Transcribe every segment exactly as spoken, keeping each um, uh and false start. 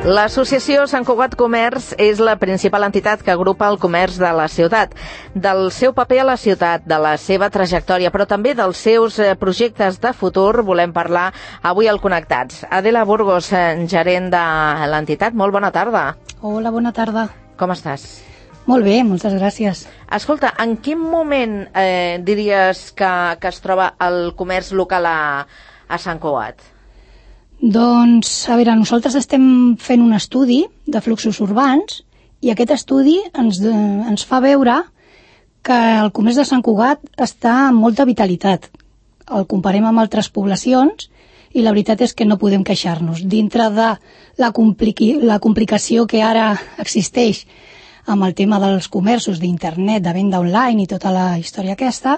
L'associació Sant Cugat Comerç és la principal entitat que agrupa el comerç de la ciutat. Del seu paper a la ciutat, de la seva trajectòria, però també dels seus projectes de futur volem parlar avui al Connectats. Adela Burgos, gerent de l'entitat, molt bona tarda. Hola, bona tarda. Com estàs? Molt bé, moltes gràcies. Escolta, en quin moment eh, diries que, que es troba el comerç local a, a Sant Cugat? Doncs, a veure, nosaltres estem fent un estudi de fluxos urbans i aquest estudi ens, de, ens fa veure que el comerç de Sant Cugat està amb molta vitalitat. El comparem amb altres poblacions i la veritat és que no podem queixar-nos. Dintre de la, compliqui, la complicació que ara existeix amb el tema dels comerços d'internet, de venda online i tota la història aquesta,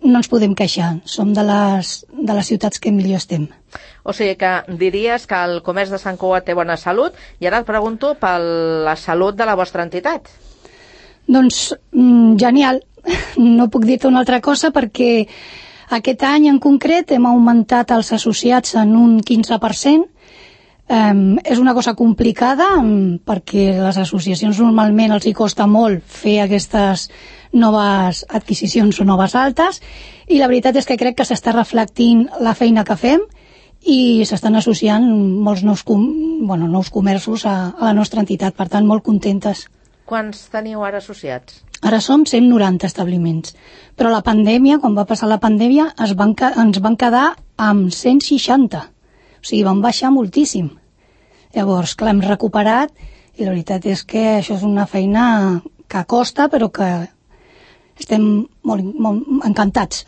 no ens podem queixar. Som de les, de les ciutats que millor estem. O sigui que diries que el comerç de Sant Cugat té bona salut i ara et pregunto per la salut de la vostra entitat. Doncs genial. No puc dir-te una altra cosa perquè aquest any en concret hem augmentat els associats en un quinze per cent. Um, és una cosa complicada um, perquè les associacions normalment els hi costa molt fer aquestes noves adquisicions o noves altes i la veritat és que crec que s'està reflectint la feina que fem i s'estan associant molts nous, com, bueno, nous comerços a, a la nostra entitat, per tant molt contentes. Quants teniu ara associats? Ara som cent noranta establiments, però la pandèmia, quan va passar la pandèmia, es van, ens van quedar amb cent seixanta. O sigui, van baixar moltíssim. Llavors, clar, hem recuperat i la veritat és que això és una feina que costa, però que estem molt, molt encantats.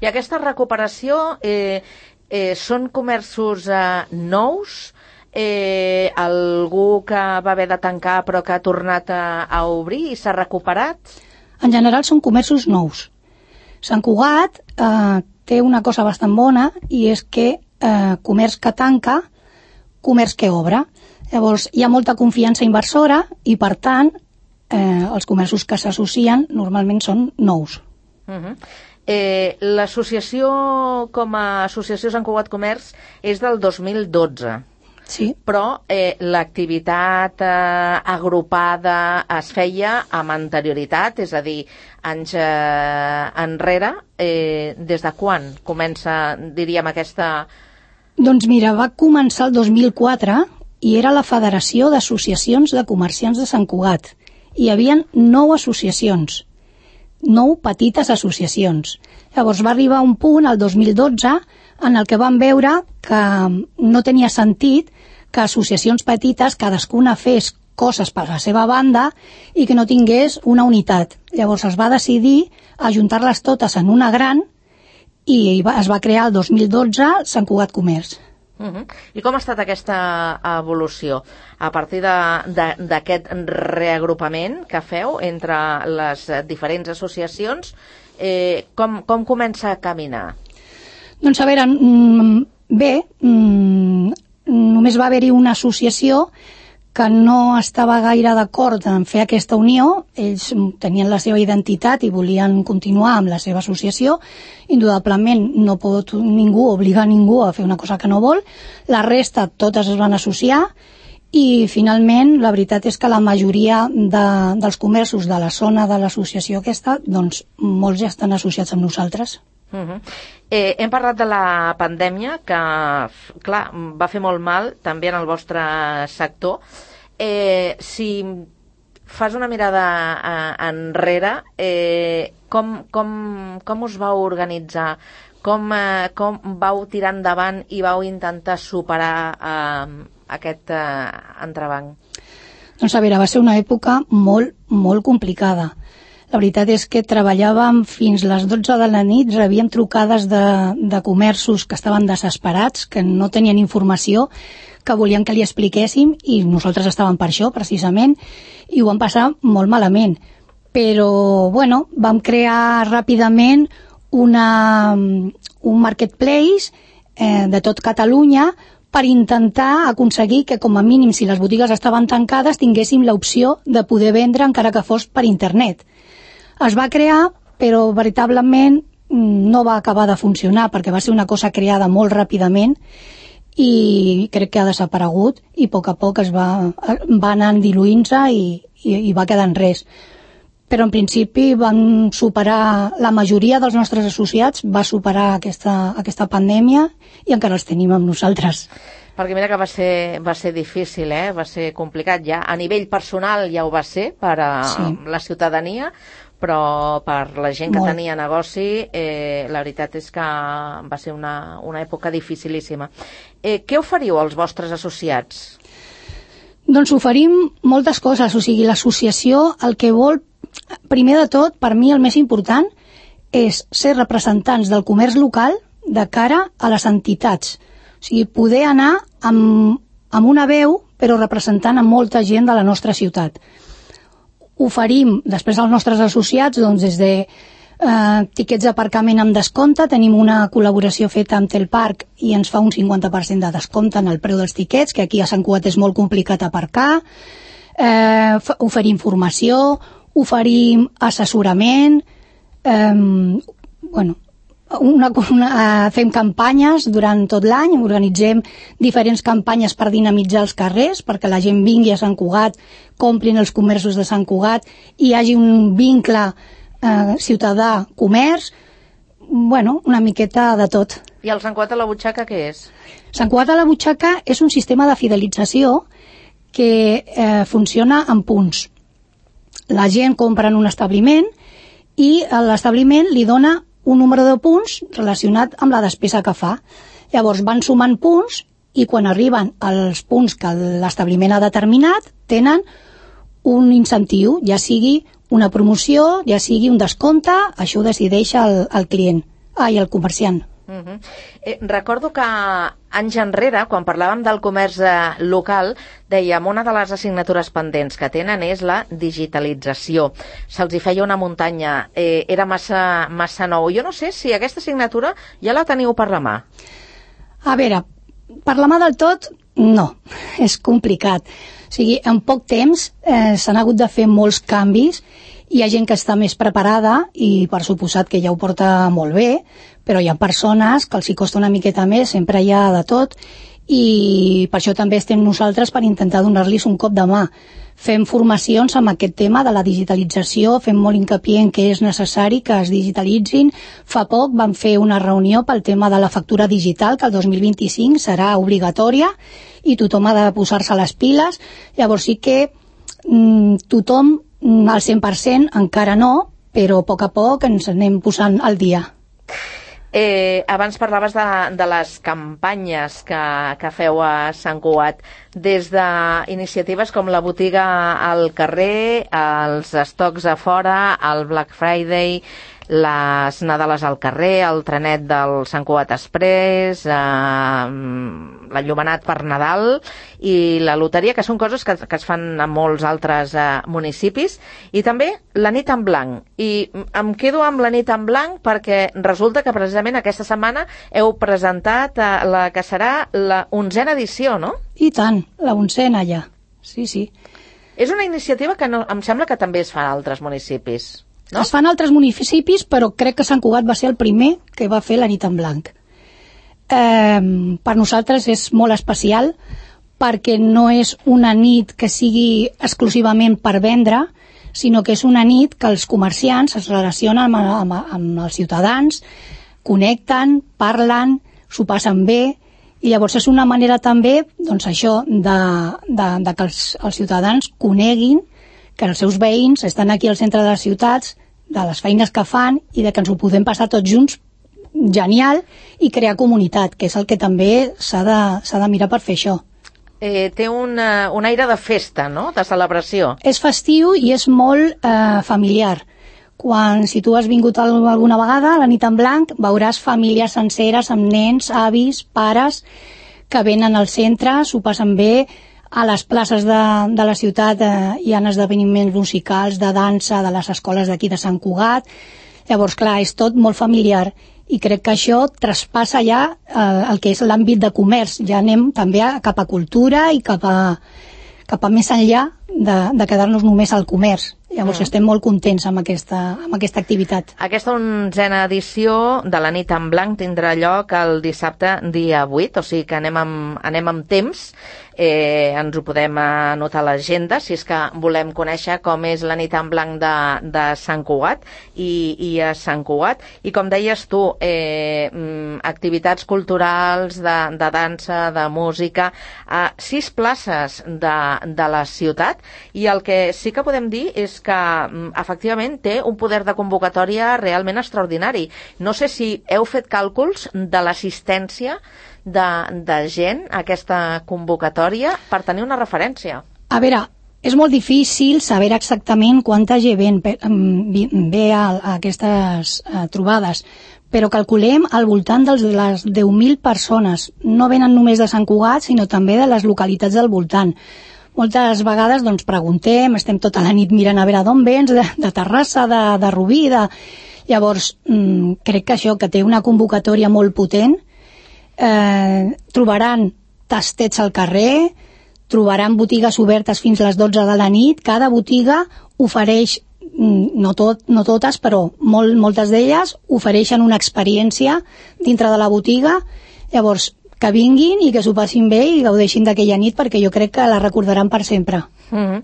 I aquesta recuperació eh, eh, són comerços eh, nous? Eh, algú que va haver de tancar però que ha tornat a, a obrir i s'ha recuperat? En general són comerços nous. Sant Cugat eh, té una cosa bastant bona i és que Eh, comerç que tanca, comerç que obre. Llavors, hi ha molta confiança inversora i, per tant, eh, els comerços que s'associen normalment són nous. Uh-huh. eh, L'associació com a Associació Sant Cugat Comerç és del dos mil dotze. Sí. Però eh, l'activitat eh, agrupada es feia amb anterioritat, és a dir, anys eh, enrere. Eh, des de quan comença, diríem, aquesta... Doncs mira, va començar el dos mil quatre i era la Federació d'Associacions de Comerciants de Sant Cugat. Hi havia nou associacions, nou petites associacions. Llavors va arribar un punt, el dos mil dotze, en el que vam veure que no tenia sentit que associacions petites cadascuna fes coses per la seva banda i que no tingués una unitat. Llavors es va decidir ajuntar-les totes en una gran i es va crear el dos mil dotze Sant Cugat Comerç. Uh-huh. I com ha estat aquesta evolució? A partir d'aquest reagrupament que feu entre les diferents associacions, eh, com, com comença a caminar? Doncs a veure, bé, només va haver-hi una associació que no estava gaire d'acord en fer aquesta unió. Ells tenien la seva identitat i volien continuar amb la seva associació. Indudablement no pot ningú obligar ningú a fer una cosa que no vol. La resta totes es van associar i finalment la veritat és que la majoria de, dels comerços de la zona de l'associació aquesta, doncs molts ja estan associats amb nosaltres. Uh-huh. eh, hem parlat de la pandèmia que, clar, va fer molt mal també en el vostre sector. Eh, si fas una mirada eh, enrere, eh, com, com, com us vau organitzar? Com, eh, com vau tirar endavant i vau intentar superar eh, aquest eh, entrebanc? Doncs a veure, va ser una època molt, molt complicada. La veritat és que treballàvem fins les dotze de la nit, rebíem trucades de, de comerços que estaven desesperats, que no tenien informació, que volien que li expliquéssim i nosaltres estàvem per això, precisament, i ho vam passar molt malament. Però, bueno, vam crear ràpidament una, un marketplace eh, de tot Catalunya per intentar aconseguir que, com a mínim, si les botigues estaven tancades, tinguéssim l'opció de poder vendre encara que fos per internet. Es va crear, però veritablement no va acabar de funcionar perquè va ser una cosa creada molt ràpidament i crec que ha desaparegut i a poc a poc es va, va anant diluint-se i, i, i va quedant res. Però en principi van superar, la majoria dels nostres associats va superar aquesta, aquesta pandèmia i encara els tenim amb nosaltres. Perquè mira que va ser, va ser difícil, eh? Va ser complicat ja. A nivell personal ja ho va ser per a sí. la ciutadania, però per la gent que Molt. tenia negoci, eh, la veritat és que va ser una, una època dificilíssima. Eh, què oferiu als vostres associats? Doncs oferim moltes coses, o sigui, l'associació el que vol, primer de tot, per mi el més important, és ser representants del comerç local de cara a les entitats. O sigui, poder anar amb, amb una veu, però representant a molta gent de la nostra ciutat. Oferim, després als nostres associats, doncs, des de eh, tiquets d'aparcament amb descompte, tenim una col·laboració feta amb Telparc i ens fa un cinquanta per cent de descompte en el preu dels tiquets, que aquí a Sant Cugat és molt complicat aparcar. Eh, oferim formació, oferim assessorament, eh, bueno, Una, una, uh, fem campanyes durant tot l'any, organitzem diferents campanyes per dinamitzar els carrers, perquè la gent vingui a Sant Cugat, comprin els comerços de Sant Cugat i hi hagi un vincle uh, ciutadà-comerç, bueno, una miqueta de tot. I el Sant Cugat a la butxaca què és? Sant Cugat a la butxaca és un sistema de fidelització que eh, funciona en punts. La gent compra en un establiment i l'establiment li dona un número de punts relacionat amb la despesa que fa. Llavors van sumant punts i quan arriben als punts que l'establiment ha determinat tenen un incentiu, ja sigui una promoció, ja sigui un descompte, això ho decideix el, el client, ai, el comerciant. Uh -huh. eh, recordo que anys enrere, quan parlàvem del comerç eh, local, dèiem una de les assignatures pendents que tenen és la digitalització. Se'ls hi feia una muntanya, eh, era massa, massa nou. Jo no sé si aquesta assignatura ja la teniu per la mà. A veure, per la mà del tot, no, és complicat. O sigui, en poc temps eh, s'han hagut de fer molts canvis. Hi ha gent que està més preparada i per suposat que ja ho porta molt bé, però hi ha persones que els hi costa una miqueta més, sempre hi ha de tot, i per això també estem nosaltres per intentar donar-los un cop de mà. Fem formacions amb aquest tema de la digitalització, fem molt hincapié en que és necessari que es digitalitzin. Fa poc vam fer una reunió pel tema de la factura digital, que el dos mil vint-i-cinc serà obligatòria i tothom ha de posar-se les piles. Llavors sí que mm, tothom al cent per cent encara no, però a poc a poc ens anem posant al dia. Eh, abans parlaves de, de les campanyes que, que feu a Sant Cugat, des d'iniciatives com la botiga al carrer, els estocs a fora, el Black Friday, les Nadales al carrer, el trenet del Sant Cugat Express, eh, l'enllumenat per Nadal i la loteria, que són coses que, que es fan a molts altres eh, municipis, i també la nit en blanc. I em quedo amb la nit en blanc perquè resulta que precisament aquesta setmana heu presentat eh, la que serà la onzena edició, no? I tant, la onzena ja, sí, sí. És una iniciativa que no, em sembla que també es fa a altres municipis. No? Es fan altres municipis, però crec que Sant Cugat va ser el primer que va fer la nit en blanc. Eh, per nosaltres és molt especial perquè no és una nit que sigui exclusivament per vendre, sinó que és una nit que els comerciants es relacionen amb, amb, amb els ciutadans, connecten, parlen, s'ho passen bé, i llavors és una manera també, doncs això, de, de, de que els, els ciutadans coneguin que els seus veïns estan aquí al centre de les ciutats, de les feines que fan i de que ens ho podem passar tots junts genial i crear comunitat, que és el que també s'ha de, s'ha de mirar per fer això. Eh, té un, uh, un aire de festa, no?, de celebració. És festiu i és molt eh, familiar. Quan, si tu has vingut alguna vegada a la nit en blanc, veuràs famílies senceres amb nens, avis, pares, que venen al centre, s'ho passen bé. A les places de, de la ciutat eh, hi ha esdeveniments musicals, de dansa, de les escoles d'aquí de Sant Cugat. Llavors, clar, és tot molt familiar i crec que això traspassa ja eh, el que és l'àmbit de comerç. Ja anem també a, cap a cultura i cap a, cap a més enllà de, de quedar-nos només al comerç. Llavors Mm. estem molt contents amb aquesta, amb aquesta activitat. Aquesta onzena edició de la nit en blanc tindrà lloc el dissabte dia vuit, o sigui que anem amb, anem amb temps. Eh, ens ho podem anotar a l'agenda si és que volem conèixer com és la nit en blanc de, de Sant Cugat i, i a Sant Cugat. I com deies tu, eh, activitats culturals de, de dansa, de música, a sis places de, de la ciutat, i el que sí que podem dir és que efectivament té un poder de convocatòria realment extraordinari. No sé si heu fet càlculs de l'assistència de, de gent a aquesta convocatòria per tenir una referència. A veure, és molt difícil saber exactament quanta gent ve, ve a, a aquestes a, trobades, però calculem al voltant de les deu mil persones. No venen només de Sant Cugat, sinó també de les localitats del voltant. Moltes vegades doncs, preguntem, estem tota la nit mirant a veure d'on vens, de, de Terrassa, de, de Rubí, de... Llavors, mmm, crec que això, que té una convocatòria molt potent. Eh, trobaran tastets al carrer, trobaran botigues obertes fins a les dotze de la nit. Cada botiga ofereix, no, tot, no totes, però molt, moltes d'elles ofereixen una experiència dintre de la botiga. Llavors, que vinguin i que s'ho passin bé i gaudeixin d'aquella nit, perquè jo crec que la recordaran per sempre. Mm-hmm.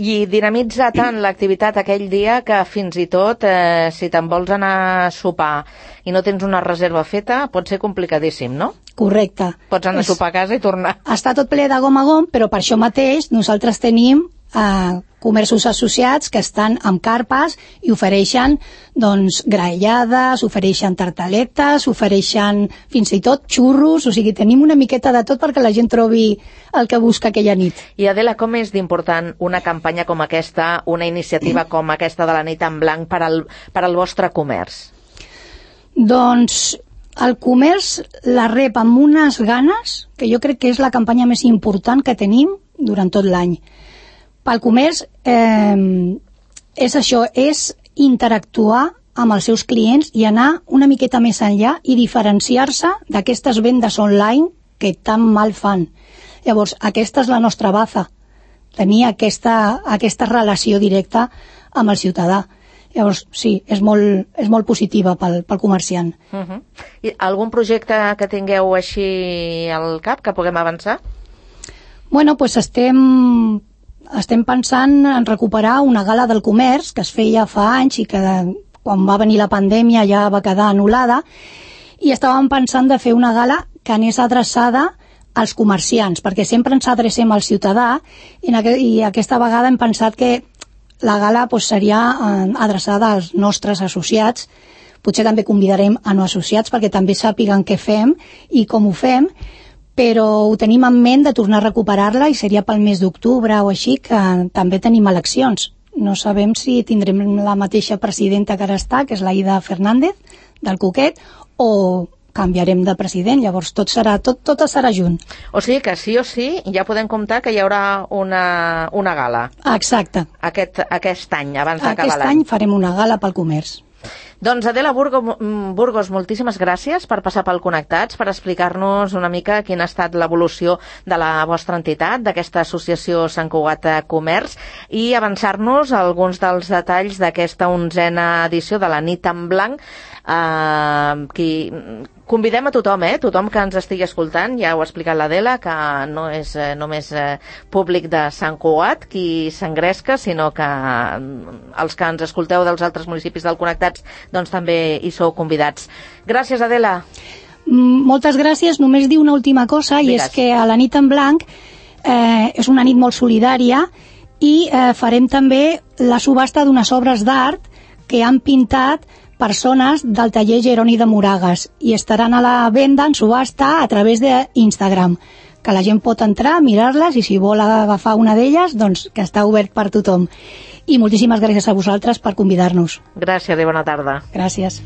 I dinamitza tant l'activitat aquell dia que fins i tot eh, si te'n vols anar a sopar i no tens una reserva feta pot ser complicadíssim, no? Correcte. Pots anar a sopar a casa i tornar. Està tot ple de gom a gom, però per això mateix nosaltres tenim eh, comerços associats que estan amb carpes i ofereixen doncs, graellades, ofereixen tartaletes, ofereixen fins i tot xurros, o sigui, tenim una miqueta de tot perquè la gent trobi el que busca aquella nit. I Adela, com és d'important una campanya com aquesta, una iniciativa com aquesta de la nit en blanc per al, per al vostre comerç? Doncs el comerç la rep amb unes ganes, que jo crec que és la campanya més important que tenim durant tot l'any. Pel comerç eh, és això, és interactuar amb els seus clients i anar una miqueta més enllà i diferenciar-se d'aquestes vendes online que tan mal fan. Llavors, aquesta és la nostra baza, tenir aquesta, aquesta relació directa amb el ciutadà. Llavors, sí, és molt, és molt positiva pel, pel comerciant. Uh-huh. I algun projecte que tingueu així al cap, que puguem avançar? Bueno, doncs estem, estem pensant en recuperar una gala del comerç que es feia fa anys i que quan va venir la pandèmia ja va quedar anul·lada, i estàvem pensant de fer una gala que anés adreçada als comerciants, perquè sempre ens adrecem al ciutadà i, aqu i aquesta vegada hem pensat que la gala pues, seria eh, adreçada als nostres associats. Potser també convidarem a no associats perquè també sàpiguen què fem i com ho fem, però ho tenim en ment de tornar a recuperar-la i seria pel mes d'octubre o així, que també tenim eleccions. No sabem si tindrem la mateixa presidenta que ara està, que és la Ida Fernández, del Coquet, o canviarem de president, llavors tot serà, tot, tot serà junt. O sigui que sí o sí ja podem comptar que hi haurà una, una gala. Exacte. Aquest, aquest any, abans d'acabar l'any. Aquest any farem una gala pel comerç. Doncs Adela Burgos, Burgos, moltíssimes gràcies per passar pel Connectats, per explicar-nos una mica quina ha estat l'evolució de la vostra entitat, d'aquesta associació Sant Cugat Comerç, i avançar-nos alguns dels detalls d'aquesta onzena edició de la nit en blanc. Uh, qui... Convidem a tothom, eh? Tothom que ens estigui escoltant, ja ho ha explicat l'Adela, que no és eh, només eh, públic de Sant Cugat qui s'engresca, sinó que eh, els que ens escolteu dels altres municipis del Connectats doncs també hi sou convidats. Gràcies, Adela. Moltes gràcies. Només dir una última cosa, i Digues. És que a la nit en blanc eh, és una nit molt solidària i eh, farem també la subhasta d'unes obres d'art que han pintat persones del taller Jeroni de Moragas i estaran a la venda en subhasta a través d'Instagram, que la gent pot entrar, mirar-les i si vol agafar una d'elles, doncs que està obert per tothom. I moltíssimes gràcies a vosaltres per convidar-nos. Gràcies i bona tarda. Gràcies.